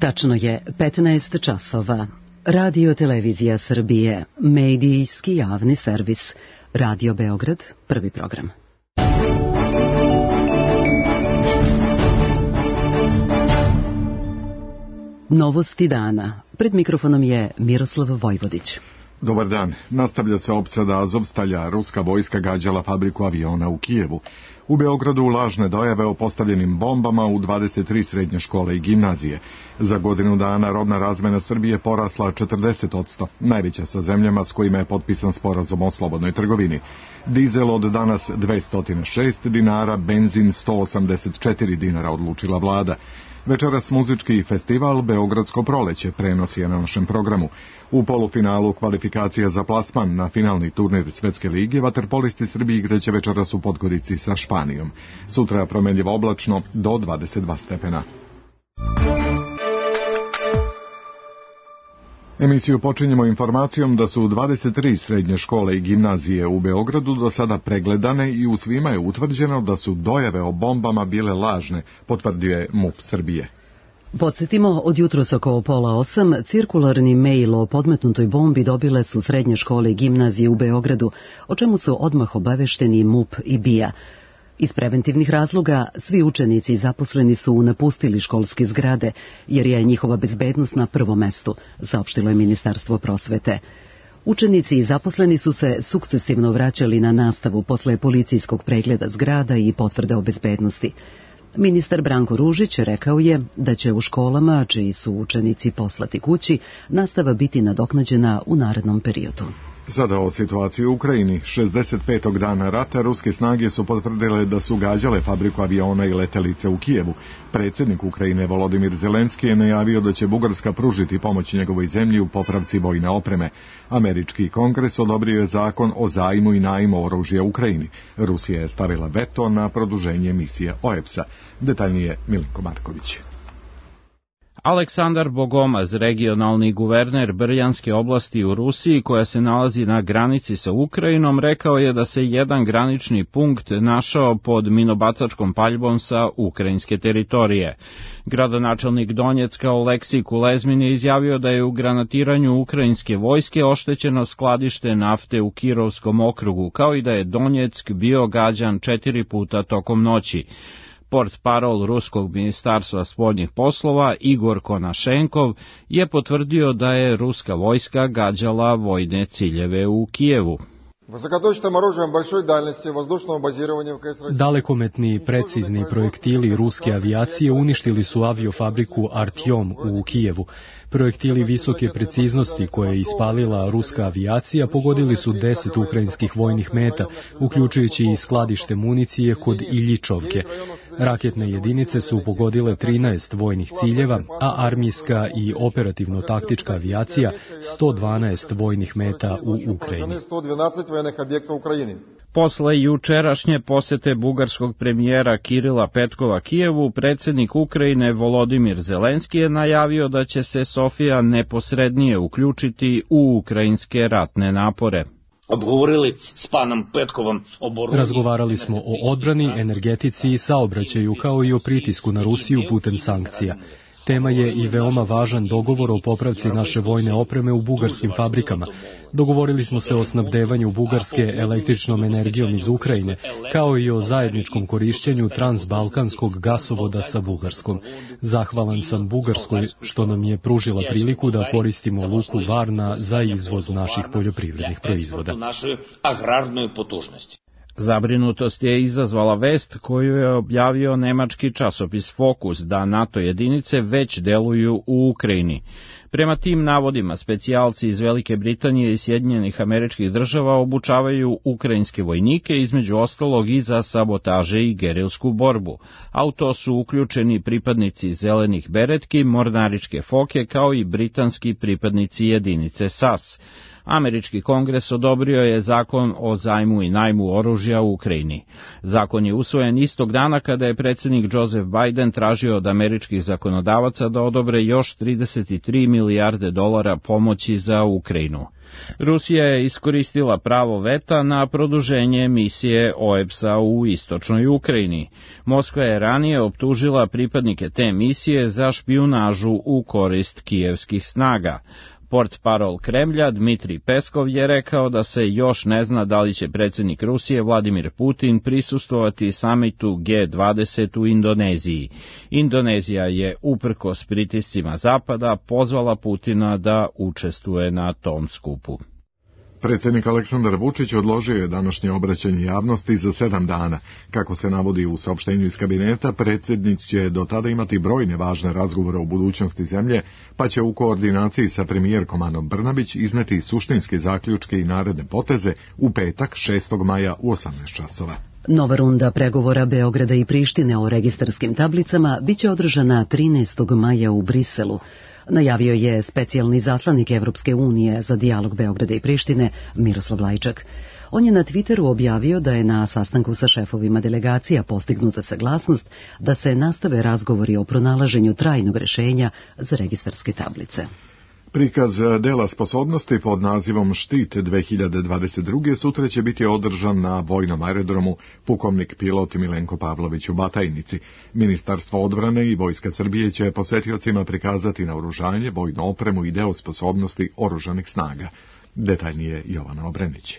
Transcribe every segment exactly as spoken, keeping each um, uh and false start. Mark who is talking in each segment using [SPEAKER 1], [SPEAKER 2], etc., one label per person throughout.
[SPEAKER 1] Tačno je petnaest časova. Radio Televizija Srbije, medijski javni servis. Radio Beograd, prvi program. Novosti dana. Pred mikrofonom je Miroslav Vojvodić.
[SPEAKER 2] Dobar dan. Nastavlja se opsada Azovstalja. Ruska vojska gađala fabriku aviona u Kijevu. U Beogradu lažne dojave o postavljenim bombama u dvadeset tri srednje škole i gimnazije. Za godinu dana robna razmena Srbije porasla četrdeset posto, najveća sa zemljama s kojima je potpisan sporazum o slobodnoj trgovini. Dizel od danas dvesta šest dinara, benzin sto osamdeset četiri dinara, odlučila vlada. Večeras muzički festival Beogradsko proleće prenosi je na našem programu. U polufinalu kvalifikacija za plasman na finalni turnir Svetske lige vaterpolisti Srbije igraće večeras u Podgorici sa Španijom. Sutra promenljivo oblačno do dvadeset dva stepena. Emisiju počinjemo informacijom da su dvadeset tri srednje škole i gimnazije u Beogradu do sada pregledane i u svima je utvrđeno da su dojave o bombama bile lažne, potvrdio je MUP Srbije.
[SPEAKER 1] Podsjetimo, od jutros oko pola osam cirkularni mail o podmetnutoj bombi dobile su srednje škole i gimnazije u Beogradu, o čemu su odmah obavešteni MUP i B I A. Iz preventivnih razloga svi učenici i zaposleni su napustili školske zgrade, jer je njihova bezbednost na prvom mestu, saopštilo je Ministarstvo prosvete. Učenici i zaposleni su se sukcesivno vraćali na nastavu posle policijskog pregleda zgrada i potvrde o bezbednosti. Ministar Branko Ružić rekao je da će u školama, čiji su učenici poslati kući, nastava biti nadoknađena u narednom periodu.
[SPEAKER 2] Sada o situaciji u Ukrajini. šezdeset petog dana rata ruske snage su potvrdile da su gađale fabriku aviona i letelice u Kijevu. Predsjednik Ukrajine Volodimir Zelenski je najavio da će Bugarska pružiti pomoć njegovoj zemlji u popravci vojne opreme. Američki kongres odobrio je zakon o zajmu i najmu oružja Ukrajini. Rusija je stavila veto na produženje misije O E P S-a. Detaljnije Milinko Marković.
[SPEAKER 3] Aleksandar Bogomaz, regionalni guverner Brjanske oblasti u Rusiji, koja se nalazi na granici sa Ukrajinom, rekao je da se jedan granični punkt našao pod minobacačkom paljbom sa ukrajinske teritorije. Gradonačelnik Donjecka Oleksij Kulezmin je izjavio da je u granatiranju ukrajinske vojske oštećeno skladište nafte u Kirovskom okrugu, kao i da je Donjeck bio gađan četiri puta tokom noći. Portparol Ruskog ministarstva spoljnih poslova Igor Konašenkov je potvrdio da je ruska vojska gađala vojne ciljeve u Kijevu.
[SPEAKER 4] Dalekometni i precizni projektili ruske avijacije uništili su aviofabriku Artjom u Kijevu. Projektili visoke preciznosti koje je ispalila ruska avijacija pogodili su deset ukrajinskih vojnih meta, uključujući i skladište municije kod Iljičovke. Raketne jedinice su pogodile trinaest vojnih ciljeva, a armijska i operativno-taktička avijacija sto dvanaest vojnih meta u Ukrajini.
[SPEAKER 3] Posle jučerašnje posete bugarskog premijera Kirila Petkova Kijevu, predsjednik Ukrajine Volodimir Zelenski je najavio da će se Sofija neposrednije uključiti u ukrajinske ratne napore.
[SPEAKER 4] Razgovarali smo o odbrani, energetici i saobraćaju, kao i o pritisku na Rusiju putem sankcija. Tema je i veoma važan dogovor o popravci naše vojne opreme u bugarskim fabrikama. Dogovorili smo se o snabdevanju Bugarske električnom energijom iz Ukrajine, kao i o zajedničkom korišćenju transbalkanskog gasovoda sa Bugarskom. Zahvalan sam Bugarskoj što nam je pružila priliku da koristimo luku Varna za izvoz naših poljoprivrednih proizvoda.
[SPEAKER 3] Zabrinutost je izazvala vest koju je objavio nemački časopis Fokus da NATO jedinice već deluju u Ukrajini. Prema tim navodima, specijalci iz Velike Britanije i Sjedinjenih Američkih Država obučavaju ukrajinske vojnike, između ostalog i za sabotaže i gerilsku borbu, a u to su uključeni pripadnici zelenih beretki, mornaričke foke, kao i britanski pripadnici jedinice S A S. Američki kongres odobrio je zakon o zajmu i najmu oružja u Ukrajini. Zakon je usvojen istog dana kada je predsjednik Joseph Biden tražio od američkih zakonodavaca da odobre još trideset tri milijarde dolara pomoći za Ukrajinu. Rusija je iskoristila pravo veta na produženje misije O E P S-a u istočnoj Ukrajini. Moskva je ranije optužila pripadnike te misije za špijunažu u korist kijevskih snaga. Portparol Kremlja Dmitrij Peskov je rekao da se još ne zna da li će predsjednik Rusije Vladimir Putin prisustvovati samitu G dvadeset u Indoneziji. Indonezija je uprkos pritiscima Zapada pozvala Putina da učestvuje na tom skupu.
[SPEAKER 2] Predsjednik Aleksandar Vučić odložio je današnje obraćanje javnosti za sedam dana. Kako se navodi u saopštenju iz kabineta, predsjednik će do tada imati brojne važne razgovore o budućnosti zemlje, pa će u koordinaciji sa premijerkom Anom Brnabić izneti suštinske zaključke i naredne poteze u petak šestog maja u osamnaest časova.
[SPEAKER 1] Nova runda pregovora Beograda i Prištine o registarskim tablicama biće održana trinaestog maja u Briselu. Najavio je specijalni zaslanik Evropske unije za dijalog Beograda i Prištine Miroslav Lajčak. On je na Twitteru objavio da je na sastanku sa šefovima delegacija postignuta saglasnost da se nastave razgovori o pronalaženju trajnog rešenja za registarske tablice.
[SPEAKER 2] Prikaz dela sposobnosti pod nazivom Štit dve hiljade dvadeset druge. sutra će biti održan na vojnom aerodromu pukovnik pilot Milenko Pavlović u Batajnici. Ministarstvo odbrane i Vojska Srbije će posetiocima prikazati naoružanje, vojnu opremu i deo sposobnosti oružanih snaga. Detaljnije Jovana Obrenić.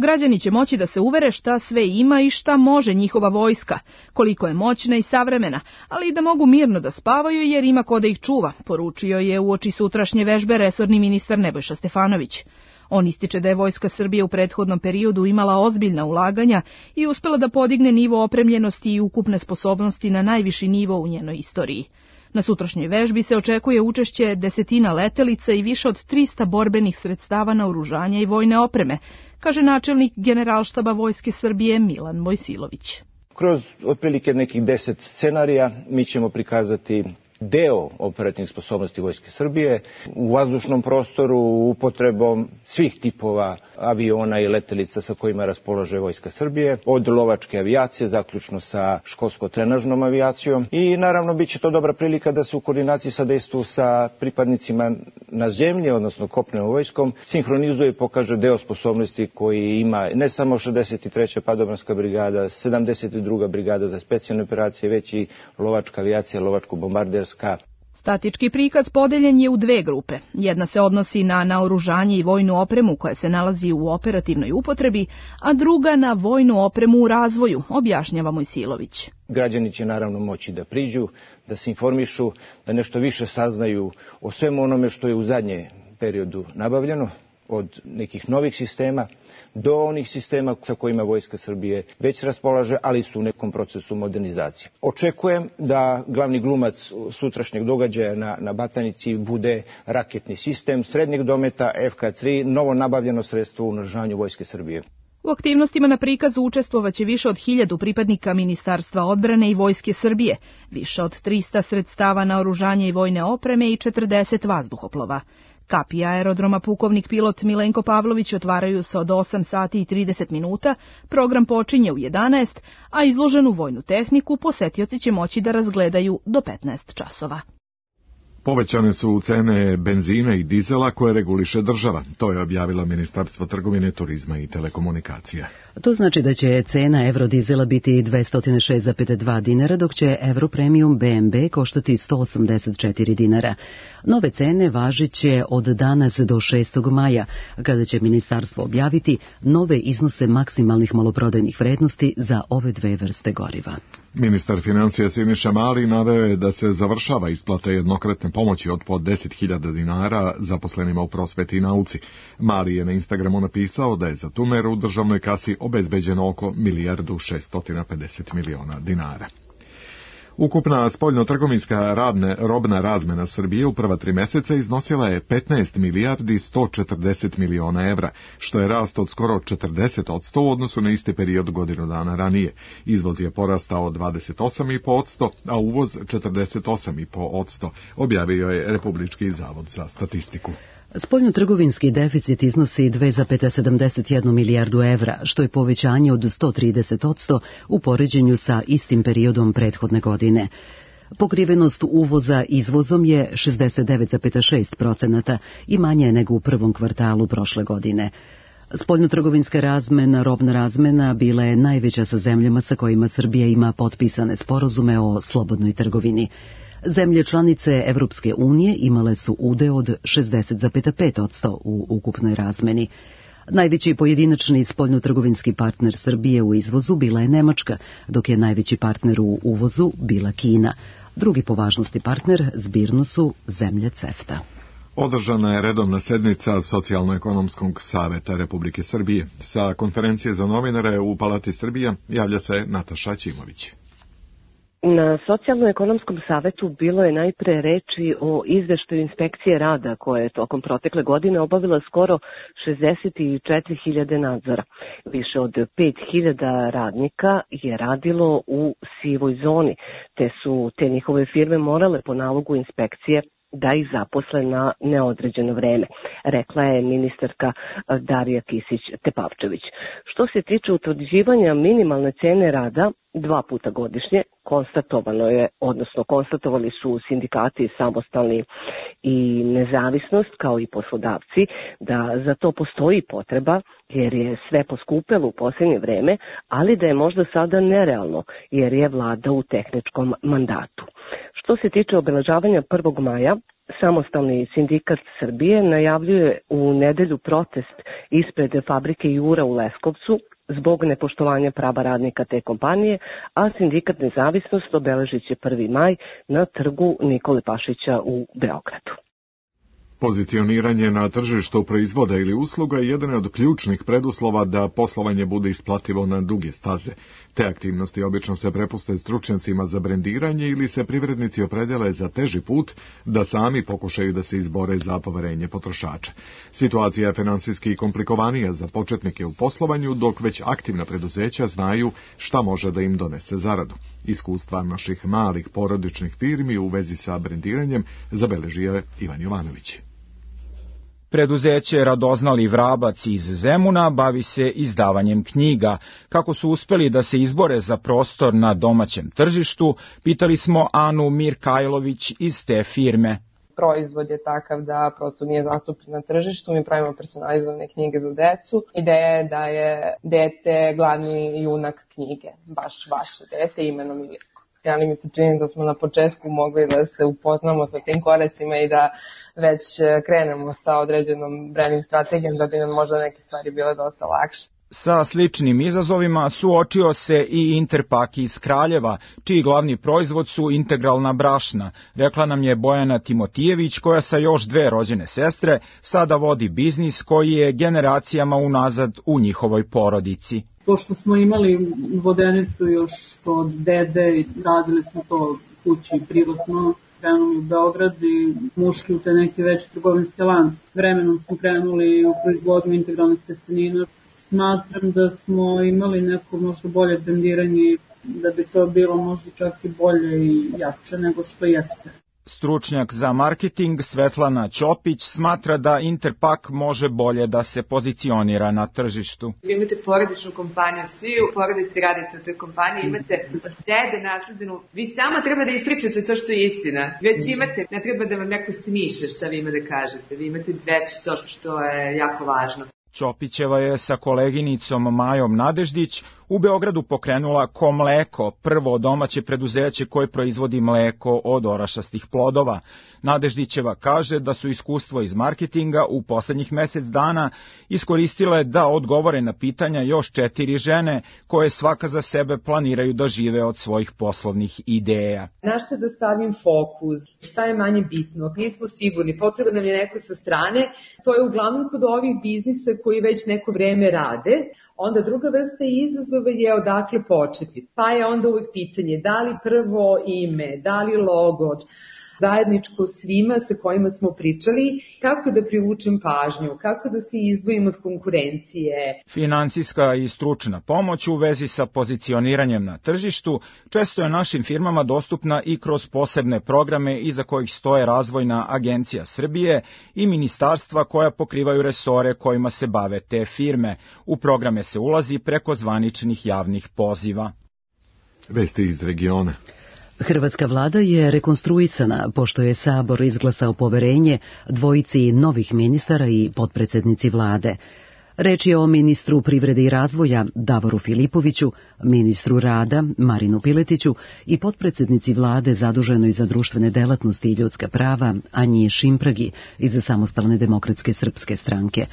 [SPEAKER 5] Građani će moći da se uvere šta sve ima i šta može njihova vojska, koliko je moćna i savremena, ali i da mogu mirno da spavaju jer ima ko da ih čuva, poručio je uoči sutrašnje vežbe resorni ministar Nebojša Stefanović. On ističe da je Vojska Srbije u prethodnom periodu imala ozbiljna ulaganja i uspela da podigne nivo opremljenosti i ukupne sposobnosti na najviši nivo u njenoj istoriji. Na sutrašnjoj vežbi se očekuje učešće desetina letelica i više od trista borbenih sredstava naoružanja i vojne opreme, kaže načelnik Generalštaba Vojske Srbije Milan Mojsilović.
[SPEAKER 6] Kroz otprilike nekih deset scenarija mi ćemo prikazati deo operativnih sposobnosti Vojske Srbije u vazdušnom prostoru upotrebom svih tipova aviona i letelica sa kojima raspolaže Vojska Srbije, od lovačke avijacije, zaključno sa školsko-trenažnom avijacijom i naravno bit će to dobra prilika da se u koordinaciji sa dejstvu sa pripadnicima na zemlji, odnosno kopnenom vojskom, sinhronizuje i pokaže deo sposobnosti koji ima ne samo šezdeset treća padobranska brigada, sedamdeset druga brigada za specijalne operacije, već i lovačka avijacija, lovačko-bombarderska.
[SPEAKER 5] Statički prikaz podeljen je u dve grupe. Jedna se odnosi na naoružanje i vojnu opremu koja se nalazi u operativnoj upotrebi, a druga na vojnu opremu u razvoju, objašnjava Mojsilović.
[SPEAKER 6] Građani će naravno moći da priđu, da se informišu, da nešto više saznaju o svemu onome što je u zadnje periodu nabavljeno, od nekih novih sistema do onih sistema sa kojima Vojska Srbije već raspolaže, ali su u nekom procesu modernizacije. Očekujem da glavni glumac sutrašnjeg događaja na, na Batajnici bude raketni sistem srednjeg dometa F K tri, novo nabavljeno sredstvo u naoružanju Vojske Srbije.
[SPEAKER 5] U aktivnostima na prikazu učestvovaće više od hiljadu pripadnika Ministarstva odbrane i Vojske Srbije, više od trista sredstava naoružanja i vojne opreme i četrdeset vazduhoplova. Kapi aerodroma pukovnik pilot Milenko Pavlović otvaraju se od osam sati i trideset minuta, program počinje u jedanaest, a izloženu vojnu tehniku posetioci će moći da razgledaju do petnaest časova.
[SPEAKER 2] Povećane su cene benzina i dizela koje reguliše država. To je objavilo Ministarstvo trgovine, turizma i telekomunikacija.
[SPEAKER 1] To znači da će cena eurodizela biti dvesta šest zarez dva dinara, dok će Europremium B M B koštati sto osamdeset četiri dinara. Nove cene važit će od danas do šestog maja, kada će ministarstvo objaviti nove iznose maksimalnih maloprodajnih vrednosti za ove dve vrste goriva.
[SPEAKER 2] Ministar financija Siniša Mali naveo je da se završava isplata jednokratne pomoći od po deset hiljada dinara zaposlenima u prosveti i nauci. Mali je na Instagramu napisao da je za tu meru u državnoj kasi obezbeđeno oko milijardu šesto pedeset miliona dinara. Ukupna spoljno-trgovinska radne robna razmena Srbije u prva tri meseca iznosila je petnaest milijardi sto četrdeset miliona evra, što je rast od skoro četrdeset odsto u odnosu na isti period godinu dana ranije. Izvoz je porastao dvadeset osam zarez pet odsto, a uvoz četrdeset osam zarez pet odsto, objavio je Republički zavod za statistiku.
[SPEAKER 1] Spoljnotrgovinski deficit iznosi dve zarez sedamdeset jednu milijardu evra, što je povećanje od sto trideset odsto u poređenju sa istim periodom prethodne godine. Pokrivenost uvoza izvozom je šezdeset devet zarez šest procenata i manje nego u prvom kvartalu prošle godine. Spoljnotrgovinska razmena, robna razmena bila je najveća sa zemljama sa kojima Srbija ima potpisane sporazume o slobodnoj trgovini. Zemlje članice Evropske unije imale su udeo od šezdeset zarez pet posto u ukupnoj razmeni. Najveći pojedinačni spoljnotrgovinski partner Srbije u izvozu bila je Nemačka, dok je najveći partner u uvozu bila Kina. Drugi po važnosti partner zbirno su zemlje CEFTA.
[SPEAKER 2] Održana je redovna sednica Socijalno-ekonomskog saveta Republike Srbije. Sa konferencije za novinare u Palati Srbija javlja se Nataša Ćimović.
[SPEAKER 7] Na Socijalno-ekonomskom savetu bilo je najpre reči o izveštaju inspekcije rada koje je tokom protekle godine obavila skoro šezdeset četiri hiljade nadzora. Više od pet hiljada radnika je radilo u sivoj zoni, te su te njihove firme morale po nalogu inspekcije da ih zaposle na neodređeno vreme, rekla je ministarka Darija Kisić-Tepavčević. Što se tiče utvrđivanja minimalne cene rada, dva puta godišnje konstatovano je, odnosno konstatovali su sindikati samostalni i nezavisnost kao i poslodavci da za to postoji potreba jer je sve poskupelo u posljednje vreme, ali da je možda sada nerealno jer je vlada u tehničkom mandatu. Što se tiče obeležavanja prvog maja, Samostalni sindikat Srbije najavljuje u nedelju protest ispred fabrike Jura u Leskovcu zbog nepoštovanja prava radnika te kompanije, a sindikat Nezavisnost obeležit će prvi maj na trgu Nikole Pašića u Beogradu.
[SPEAKER 2] Pozicioniranje na tržištu proizvoda ili usluga je jedan od ključnih preduslova da poslovanje bude isplativo na duge staze. Te aktivnosti obično se prepuste stručnjacima za brendiranje ili se privrednici opredele za teži put da sami pokušaju da se izbore za poverenje potrošača. Situacija je finansijski komplikovanija za početnike u poslovanju, dok već aktivna preduzeća znaju šta može da im donese zaradu. Iskustva naših malih porodičnih firmi u vezi sa brendiranjem zabeležio je Ivan Jovanović.
[SPEAKER 8] Preduzeće Radoznali Vrabac iz Zemuna bavi se izdavanjem knjiga. Kako su uspeli da se izbore za prostor na domaćem tržištu, pitali smo Anu Mirkajlović iz te firme.
[SPEAKER 9] Proizvod je takav da prosto nije zastupljen na tržištu, mi pravimo personalizovane knjige za decu. Ideja je da je dete glavni junak knjige, baš vaše dete imenom Mirko. Ali mi se čini da smo na početku mogli da se upoznamo sa tim koracima i da već krenemo sa određenom branding strategijom da bi nam možda neke stvari bile dosta lakše.
[SPEAKER 8] Sa sličnim izazovima suočio se i Interpak iz Kraljeva, čiji glavni proizvod su integralna brašna. Rekla nam je Bojana Timotijević, koja sa još dve rođene sestre sada vodi biznis koji je generacijama unazad u njihovoj porodici.
[SPEAKER 10] Pošto smo imali vodenicu još od dede i radili smo to kući privatno, krenuli u Beograd i ušli u te neke veće trgovinske lance. Vremenom smo krenuli u proizvodnju integralnih testenina. Smatram da smo imali neko možda bolje brendiranje, da bi to bilo možda čak i bolje i jače nego što jeste.
[SPEAKER 8] Stručnjak za marketing Svetlana Ćopić smatra da Interpak može bolje da se pozicionira na tržištu.
[SPEAKER 11] Vi imate porodičnu kompaniju, svi u porodici radite u toj kompaniji, imate dede nasleđenu, vi samo treba da ispričate to što je istina. Već imate, ne treba da vam neko smišlja šta vi ima da kažete, vi imate već to što je jako važno.
[SPEAKER 8] Ćopićeva je sa koleginicom Majom Nadeždić u Beogradu pokrenula Komleko, prvo domaće preduzeće koje proizvodi mleko od orašastih plodova. Nadeždićeva kaže da su iskustvo iz marketinga u poslednjih mesec dana iskoristile da odgovore na pitanja još četiri žene koje svaka za sebe planiraju da žive od svojih poslovnih ideja.
[SPEAKER 12] Na šta da stavim fokus? Šta je manje bitno? Nismo sigurni, potrebno nam je neko sa strane. To je uglavnom kod ovih biznisa koji već neko vreme rade. Onda druga vrsta izazova je odakle početi. Pa je onda uvijek pitanje da li prvo ime, da li logo, zajedničko svima sa kojima smo pričali, kako da privučem pažnju, kako da se izdvojim od konkurencije.
[SPEAKER 8] Finansijska i stručna pomoć u vezi sa pozicioniranjem na tržištu često je našim firmama dostupna i kroz posebne programe iza kojih stoje Razvojna agencija Srbije i ministarstva koja pokrivaju resore kojima se bave te firme. U programe se ulazi preko zvaničnih javnih poziva.
[SPEAKER 2] Vesti iz regiona.
[SPEAKER 1] Hrvatska vlada je rekonstruisana pošto je Sabor izglasao poverenje dvojici novih ministara i potpredsjednici vlade. Reč je o ministru privrede i razvoja Davoru Filipoviću, ministru rada Marinu Piletiću i potpredsjednici vlade zaduženoj za društvene delatnosti i ljudska prava Anji Šimpragi iz Samostalne demokratske srpske stranke.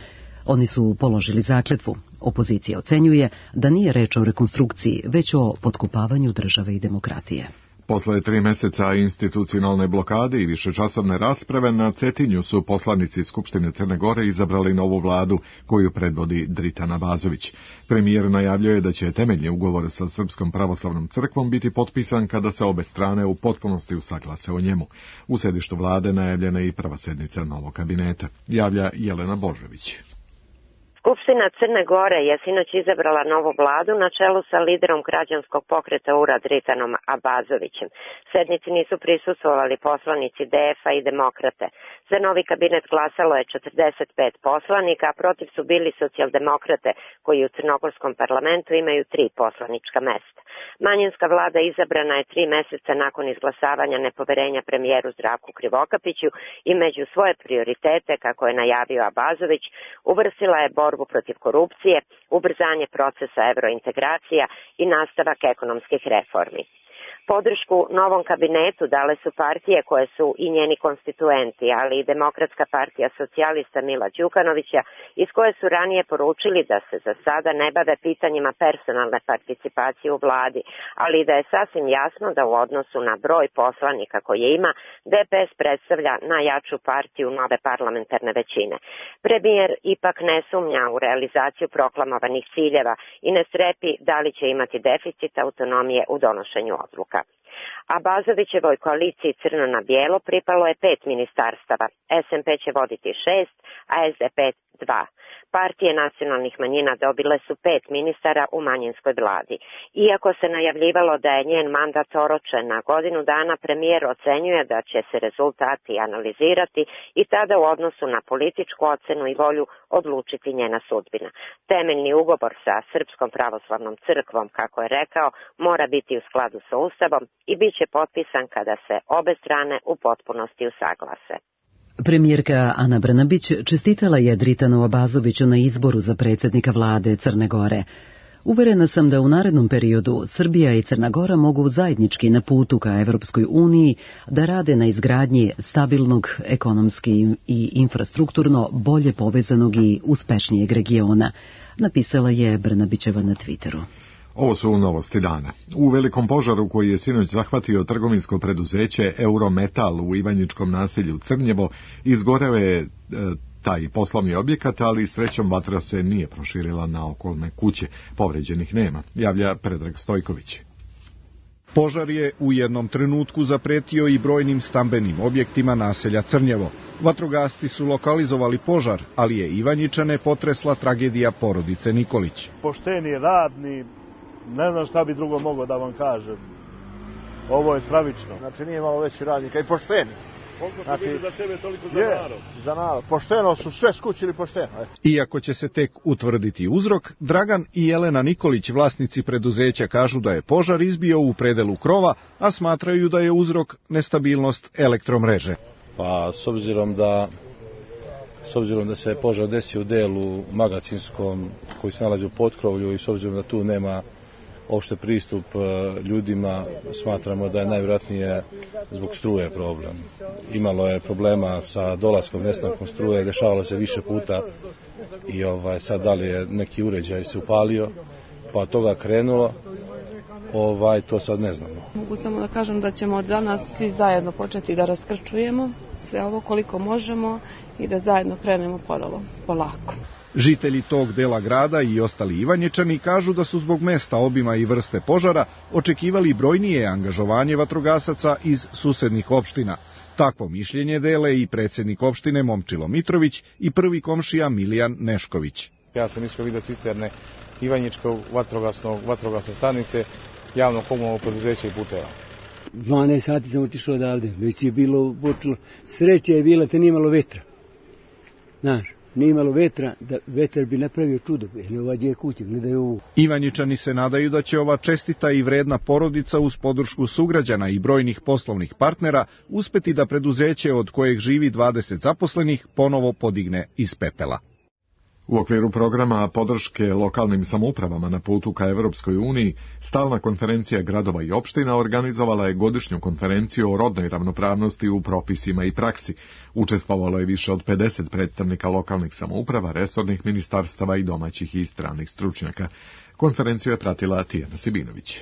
[SPEAKER 1] Oni su položili zakletvu. Opozicija ocenjuje da nije reč o rekonstrukciji, već o potkopavanju države i demokratije.
[SPEAKER 2] Posle tri meseca institucionalne blokade i višečasovne rasprave na Cetinju su poslanici Skupštine Crne Gore izabrali novu vladu koju predvodi Dritan Abazović. Premijer najavljuje da će temeljni ugovor sa Srpskom pravoslavnom crkvom biti potpisan kada se obe strane u potpunosti usaglase o njemu. U sedištu vlade najavljena je i prva sednica novog kabineta, javlja Jelena Božović.
[SPEAKER 13] Skupština Crne Gore je sinoć izabrala novu vladu na čelu sa liderom građanskog pokreta U R A Dritanom Abazovićem. Sednici nisu prisustvovali poslanici D F-a i Demokrate. Za novi kabinet glasalo je četrdeset pet poslanika, a protiv su bili socijaldemokrate, koji u crnogorskom parlamentu imaju tri poslanička mesta. Manjinska vlada izabrana je tri meseca nakon izglasavanja nepoverenja premijeru Zdravku Krivokapiću i među svoje prioritete, kako je najavio Abazović, uvrstila je borbu protiv korupcije, ubrzanje procesa evrointegracija i nastavak ekonomskih reformi. Podršku novom kabinetu dale su partije koje su i njeni konstituenti, ali i Demokratska partija socijalista Mila Đukanovića, iz koje su ranije poručili da se za sada ne bave pitanjima personalne participacije u vladi, ali i da je sasvim jasno da u odnosu na broj poslanika koje ima, D P S predstavlja najjaču partiju nove parlamentarne većine. Premijer ipak ne sumnja u realizaciju proklamovanih ciljeva i ne strepi da li će imati deficit autonomije u donošenju odluka. Abazovićevoj koaliciji Crno na bijelo pripalo je pet ministarstava, S M P će voditi šest, a S D P dva. Partije nacionalnih manjina dobile su pet ministara u manjinskoj vladi. Iako se najavljivalo da je njen mandat oročen na godinu dana, premijer ocenjuje da će se rezultati analizirati i tada u odnosu na političku ocenu i volju odlučiti njena sudbina. Temeljni ugovor sa Srpskom pravoslavnom crkvom, kako je rekao, mora biti u skladu sa Ustavom i bit će potpisan kada se obe strane u potpunosti usaglase.
[SPEAKER 1] Premijerka Ana Brnabić čestitala je Dritanu Abazoviću na izboru za predsjednika vlade Crne Gore. Uverena sam da u narednom periodu Srbija i Crna Gora mogu zajednički na putu ka Evropskoj uniji da rade na izgradnji stabilnog, ekonomski i infrastrukturno bolje povezanog i uspešnijeg regiona, napisala je Brnabićeva na Twitteru.
[SPEAKER 2] Ovo su novosti dana. U velikom požaru koji je sinoć zahvatio trgovinsko preduzeće Eurometal u Ivanjičkom naselju Crnjevo, izgoreo je e, taj poslovni objekat, ali srećom vatra se nije proširila na okolne kuće. Povređenih nema, javlja Predrag Stojković.
[SPEAKER 14] Požar je u jednom trenutku zapretio i brojnim stambenim objektima naselja Crnjevo. Vatrogasci su lokalizovali požar, ali je Ivanjičane potresla tragedija porodice Nikolić.
[SPEAKER 15] Pošteni, radni, ne znam šta bi drugo mogao da vam kažem. Ovo je stravično.
[SPEAKER 16] Znači nije malo veći radnika i pošteni.
[SPEAKER 15] Koliko su znači, bili za sebe, toliko za
[SPEAKER 16] je,
[SPEAKER 15] narod.
[SPEAKER 16] Za narod. Pošteno su sve skućili pošteno. E.
[SPEAKER 14] Iako će se tek utvrditi uzrok, Dragan i Jelena Nikolić, vlasnici preduzeća, kažu da je požar izbio u predelu krova, a smatraju da je uzrok nestabilnost elektromreže.
[SPEAKER 17] Pa s obzirom da S obzirom da se požar desio u delu magacinskom koji se nalazi u potkrovlju i s obzirom da tu nema opšte pristup ljudima, smatramo da je najvjerojatnije zbog struje problem. Imalo je problema sa dolaskom, nestankom struje, dešavalo se više puta i ovaj, sad da li je neki uređaj se upalio, pa od toga krenulo, ovaj, to sad ne znamo.
[SPEAKER 18] Mogu samo da kažem da ćemo od danas svi zajedno početi da raskrčujemo sve ovo koliko možemo i da zajedno krenemo ponovo, polako.
[SPEAKER 14] Žitelji tog dela grada i ostali Ivanjičani kažu da su zbog mesta, obima i vrste požara očekivali brojnije angažovanje vatrogasaca iz susednih opština. Takvo mišljenje dele i predsjednik opštine Momčilo Mitrović i prvi komšija Milijan Nešković.
[SPEAKER 19] Ja sam iskao vidio cisterne Ivanjičkog vatrogasnog, vatrogasne stanice, javno komunalno preduzeće i puteva.
[SPEAKER 20] dvanaest sati sam otišao odavde, već je bilo počelo, sreća je bila, te nije malo vetra. Znaš, nije imalo vetra, da vetar bi napravio čudo. Gledaj kuće, gledaju ovu.
[SPEAKER 14] Ivanjičani se nadaju da će ova čestita i vredna porodica uz podršku sugrađana i brojnih poslovnih partnera uspeti da preduzeće od kojeg živi dvadeset zaposlenih ponovo podigne iz pepela.
[SPEAKER 2] U okviru programa podrške lokalnim samoupravama na putu ka Evropskoj uniji, stalna konferencija gradova i opština organizovala je godišnju konferenciju o rodnoj ravnopravnosti u propisima i praksi. Učestvovalo je više od pedeset predstavnika lokalnih samouprava, resornih ministarstava i domaćih i stranih stručnjaka. Konferenciju je pratila Tijana Sibinović.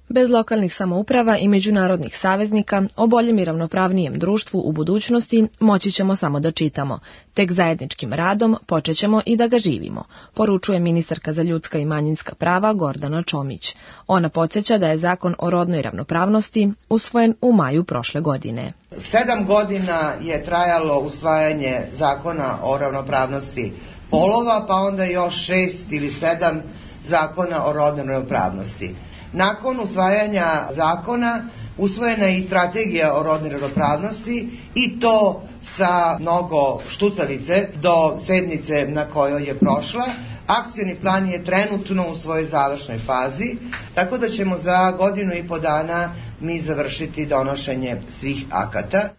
[SPEAKER 21] Bez lokalnih samouprava i međunarodnih saveznika o boljem i ravnopravnijem društvu u budućnosti moći ćemo samo da čitamo. Tek zajedničkim radom počet ćemo i da ga živimo, poručuje ministarka za ljudska i manjinska prava Gordana Čomić. Ona podsjeća da je zakon o rodnoj ravnopravnosti usvojen u maju prošle godine.
[SPEAKER 22] Sedam godina je trajalo usvajanje zakona o ravnopravnosti polova, pa onda još šest ili sedam zakona o rodnoj ravnopravnosti. Nakon usvajanja zakona usvojena je i strategija o rodnoj ravnopravnosti i to sa mnogo štucalice do sednice na kojoj je prošla. Akcioni plan je trenutno u svojoj završnoj fazi, tako da ćemo za godinu i po dana mi završiti donošenje svih akata.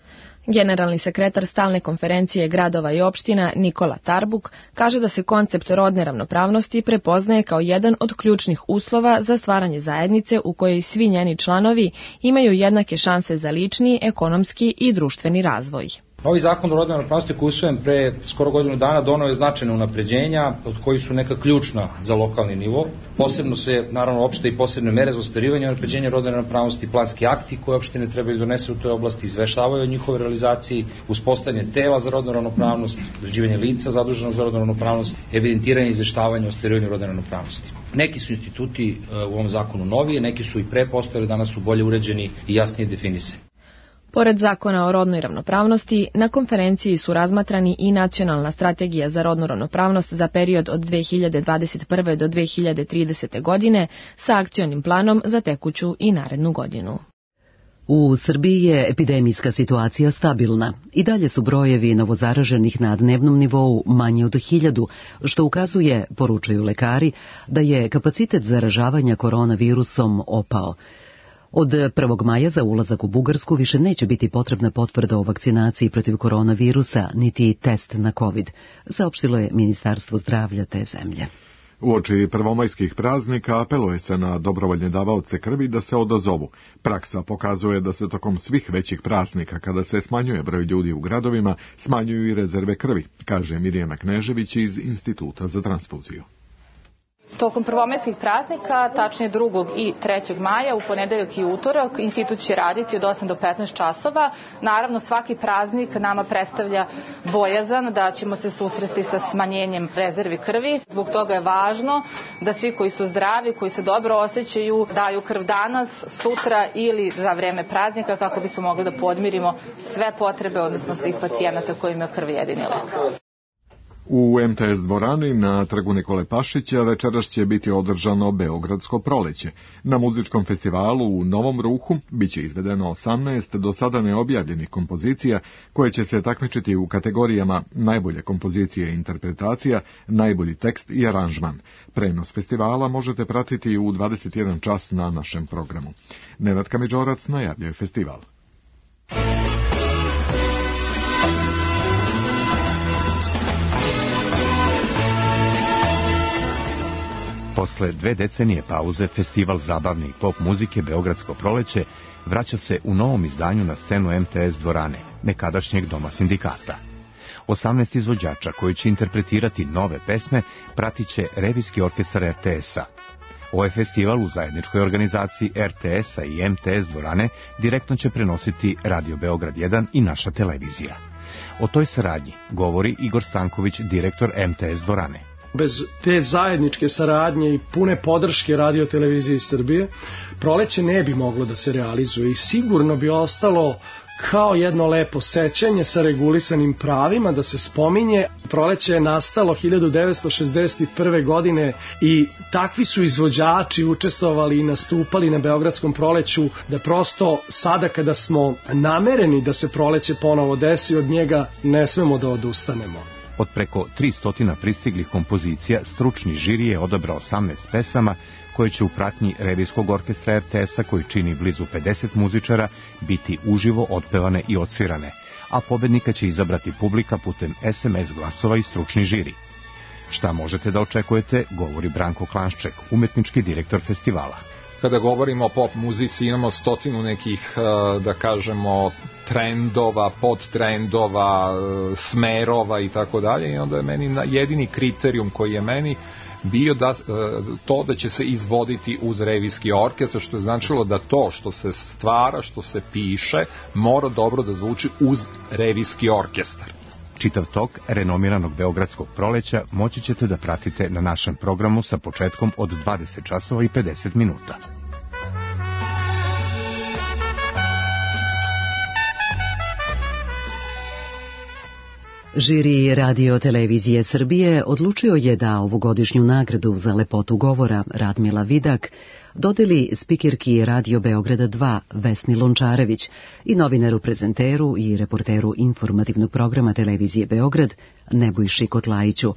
[SPEAKER 21] Generalni sekretar stalne konferencije gradova i opština Nikola Tarbuk kaže da se koncept rodne ravnopravnosti prepoznaje kao jedan od ključnih uslova za stvaranje zajednice u kojoj svi njeni članovi imaju jednake šanse za lični, ekonomski i društveni razvoj.
[SPEAKER 23] Novi zakon o rodnoj ravnopravnosti koji je usvojen pre skoro godinu dana doneo je značajne unapređenja od kojih su neka ključna za lokalni nivo. Posebno se naravno opšte i posebne mere za ostvarivanje i unapređenja rodne ravnopravnosti, planski akti koje opštine trebaju donese u toj oblasti, izveštavaju o njihovoj realizaciji, uspostavljanje tela za rodnu ravnopravnost, određivanje lica zaduženog za rodnu ravnopravnost, evidentiranje i izveštavanje o ostvarivanju rodne ravnopravnosti. Neki su instituti u ovom zakonu novije, neki su i pre postojali, danas su bolje uređeni i jasnije definisani.
[SPEAKER 21] Pored zakona o rodnoj ravnopravnosti, na konferenciji su razmatrani i nacionalna strategija za rodnu ravnopravnost za period od dve hiljade dvadeset prve do dve hiljade tridesete. godine sa akcionim planom za tekuću i narednu godinu.
[SPEAKER 1] U Srbiji je epidemijska situacija stabilna. I dalje su brojevi novozaraženih na dnevnom nivou manje od hiljadu, što ukazuje, poručuju lekari, da je kapacitet zaražavanja koronavirusom opao. Od prvog maja za ulazak u Bugarsku više neće biti potrebna potvrda o vakcinaciji protiv koronavirusa, niti test na COVID, saopštilo je Ministarstvo zdravlja te zemlje.
[SPEAKER 2] Uoči prvomajskih praznika apeluje se na dobrovoljne davaoce krvi da se odazovu. Praksa pokazuje da se tokom svih većih praznika, kada se smanjuje broj ljudi u gradovima, smanjuju i rezerve krvi, kaže Mirjana Knežević iz Instituta za transfuziju.
[SPEAKER 24] Tokom prvomajskih praznika, tačnije drugog i trećeg maja, u ponedeljak i utorak, institut će raditi od osam do petnaest časova. Naravno, svaki praznik nama predstavlja bojazan da ćemo se susresti sa smanjenjem rezervi krvi. Zbog toga je važno da svi koji su zdravi, koji se dobro osjećaju, daju krv danas, sutra ili za vreme praznika kako bismo mogli da podmirimo sve potrebe, odnosno svih pacijenata koji imaju krv jedini lek.
[SPEAKER 2] U em te es dvorani na trgu Nikole Pašića večeras će biti održano Beogradsko proleće. Na muzičkom festivalu u Novom Ruhu biće izvedeno osamnaest do sada neobjavljenih kompozicija koje će se takmičiti u kategorijama najbolje kompozicije i interpretacija, najbolji tekst i aranžman. Prenos festivala možete pratiti u dvadeset jedan čas na našem programu. Nenad Kamidžorac najavljuje festival.
[SPEAKER 25] Posle dve decenije pauze, festival zabavne i pop muzike Beogradsko proleće vraća se u novom izdanju na scenu em te es dvorane, nekadašnjeg doma sindikata. osamnaest izvođača koji će interpretirati nove pesme pratit će revijski orkestar er te es-a. Ovaj festival u zajedničkoj organizaciji er te es-a i em te es dvorane direktno će prenositi Radio Beograd jedan i naša televizija. O toj saradnji govori Igor Stanković, direktor em te es dvorane.
[SPEAKER 26] Bez te zajedničke saradnje i pune podrške Radio televizije Srbije, proleće ne bi moglo da se realizuje i sigurno bi ostalo kao jedno lepo sećanje sa regulisanim pravima da se spominje. Proleće je nastalo hiljadu devetsto šezdeset prve. godine i takvi su izvođači učestvovali i nastupali na Beogradskom proleću da prosto sada kada smo namereni da se proleće ponovo desi, od njega ne smemo da odustanemo.
[SPEAKER 25] Od preko tristo pristiglih kompozicija, stručni žiri je odabrao osamnaest pesama koje će u pratnji Revijskog orkestra er te esa, koji čini blizu pedeset muzičara, biti uživo otpevane i odsvirane, a pobednika će izabrati publika putem es em es glasova i stručni žiri. Šta možete da očekujete, govori Branko Klanšček, umetnički direktor festivala.
[SPEAKER 3] Kada govorimo o pop muzici, imamo stotinu nekih, da kažemo, trendova, podtrendova, smerova i tako dalje, i onda je meni jedini kriterijum koji je meni bio da, to da će se izvoditi uz revijski orkestar, što je značilo da to što se stvara, što se piše, mora dobro da zvuči uz revijski orkestar.
[SPEAKER 25] Čitav tok renomiranog Beogradskog proleća moći ćete da pratite na našem programu sa početkom od dvadeset časova i pedeset minuta.
[SPEAKER 1] Žiri Radio Televizije Srbije odlučio je da ovogodišnju nagradu za lepotu govora Radmila Vidak dodeli spikerki Radio Beograda dva Vesni Lončarević i novinaru prezenteru i reporteru informativnog programa Televizije Beograd Nebojši Kotlajiću.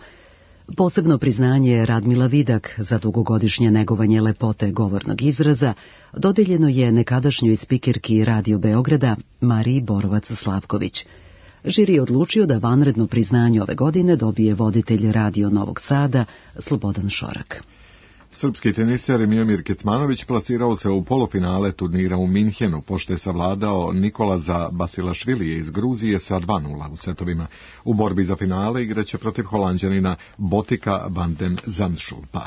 [SPEAKER 1] Posebno priznanje Radmila Vidak za dugogodišnje negovanje lepote govornog izraza dodeljeno je nekadašnjoj spikerki Radio Beograda Mariji Borovac-Slavković. Žiri je odlučio da vanredno priznanje ove godine dobije voditelj Radio Novog Sada Slobodan Šorak.
[SPEAKER 2] Srpski teniser Miomir Kecmanović plasirao se u polufinale turnira u Minhenu, pošto je savladao Nikolaza Basilašvilije iz Gruzije sa dva nula u setovima. U borbi za finale igraće protiv Holanđanina Botika van den Zandschulpa.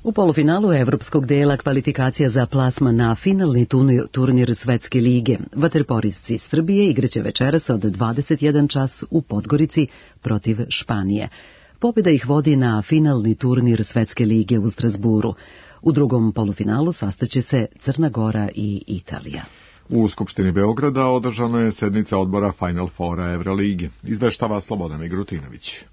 [SPEAKER 1] U polufinalu evropskog dela kvalifikacija za plasman na finalni turnir Svetske lige vaterpolisci Srbije igraće večeras od dvadeset jedan čas u Podgorici protiv Španije. Pobjeda ih vodi na finalni turnir Svetske lige u Strasburu. U drugom polufinalu sastaće se Crna Gora i Italija.
[SPEAKER 2] U Skupštini Beograda održana je sednica odbora Final Fora Evroligi. Izveštava Slobodan Migrutinović.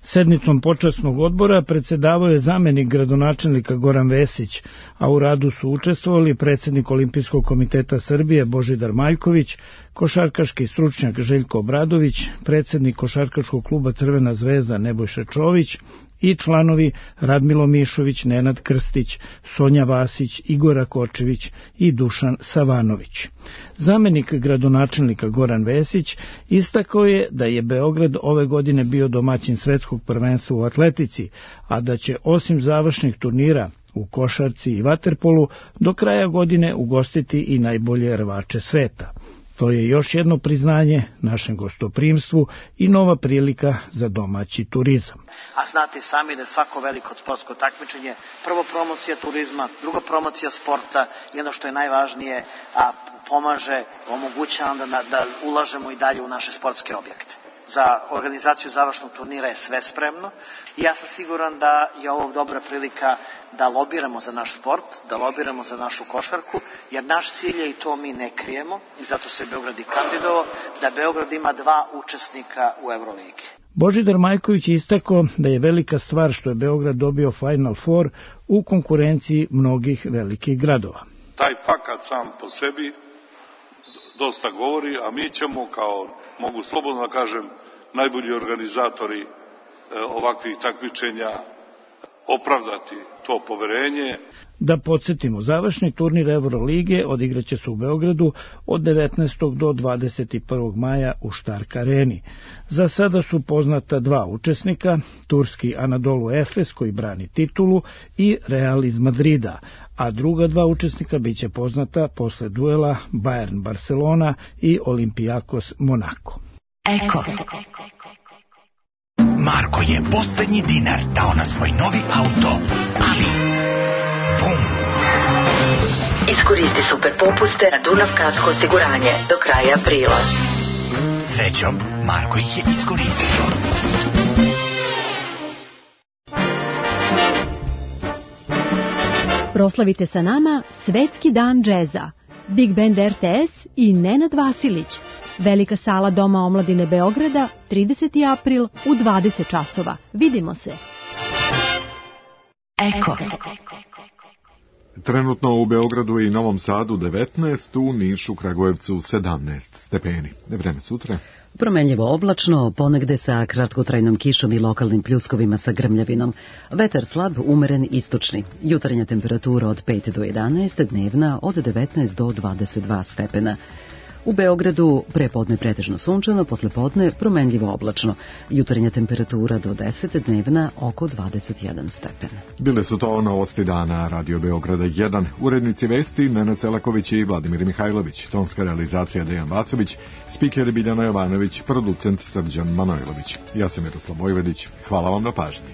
[SPEAKER 4] Sednicom počasnog odbora predsedavao je zamenik gradonačelnika Goran Vesić, a u radu su učestvovali predsjednik Olimpijskog komiteta Srbije Božidar Maljković, košarkaški stručnjak Željko Obradović, predsjednik košarkaškog kluba Crvena zvezda Nebojša Čović i članovi Radmilo Mišović, Nenad Krstić, Sonja Vasić, Igor Kočević i Dušan Savanović. Zamenik gradonačelnika Goran Vesić istakao je da je Beograd ove godine bio domaćin svetskog prvenstva u atletici, a da će osim završnih turnira u košarci i vaterpolu do kraja godine ugostiti i najbolje rvače sveta. To je još jedno priznanje našem gostoprimstvu i nova prilika za domaći turizam.
[SPEAKER 5] A znate sami da je svako veliko sportsko takmičenje prvo promocija turizma, druga promocija sporta i ono što je najvažnije, a pomaže, omogućava da, da ulažemo i dalje u naše sportske objekte. Za organizaciju završnog turnira je sve spremno i ja sam siguran da je ovo dobra prilika da lobiramo za naš sport, da lobiramo za našu košarku, jer naš cilj je, i to mi ne krijemo, i zato se Beograd i kandidovao, da Beograd ima dva učesnika u Euroligi.
[SPEAKER 4] Božidar Majković je istakao da je velika stvar što je Beograd dobio Final Four u konkurenciji mnogih velikih gradova.
[SPEAKER 6] Taj fakat sam po sebi dosta govori, a mi ćemo, kao mogu slobodno da kažem, najbolji organizatori e, ovakvih takmičenja opravdati to poverenje.
[SPEAKER 4] Da podsjetimo, završni turnir Eurolige odigraće se u Beogradu od devetnaestog do dvadeset prvog maja u Štark areni. Za sada su poznata dva učesnika, turski Anadolu Efes koji brani titulu i Real iz Madrida, a druga dva učesnika biće poznata posle duela Bayern Barcelona i Olympiakos Monako.
[SPEAKER 7] Eko. Marko je poslednji dinar dao na svoj novi auto, ali bum!
[SPEAKER 9] Iskoristi super popuste na Dunav kasko osiguranje do kraja aprila.
[SPEAKER 7] Srećom, Marko ih je iskoristio.
[SPEAKER 27] Proslavite sa nama Svetski dan džeza, Big Band er te es i Nenad Vasilić. Velika sala Doma omladine Beograda, trideseti april u dvadeset časova. Vidimo se.
[SPEAKER 7] Eko.
[SPEAKER 2] Trenutno u Beogradu i Novom Sadu devetnaest, u Nišu, Kragujevcu sedamnaest stepeni. Vreme sutra.
[SPEAKER 1] Promenljivo oblačno, ponegde sa kratkotrajnom kišom i lokalnim pljuskovima sa grmljavinom. Vetar slab, umeren istočni. Jutarnja temperatura od pet do jedanaest, dnevna od devetnaest do dvadeset dva stepena. U Beogradu prepodne pretežno sunčano, posle podne promenljivo oblačno. Jutarnja temperatura do deset, dnevna oko dvadeset jedan stepen.
[SPEAKER 2] Bile su to novosti dana Radio Beograda jedan. Urednici vesti Nenad Celaković i Vladimir Mihajlović. Tonska realizacija Dejan Vasović, spiker Biljana Jovanović, producent Srđan Manojlović. Ja sam Miroslav Vojvodić. Hvala vam na pažnji.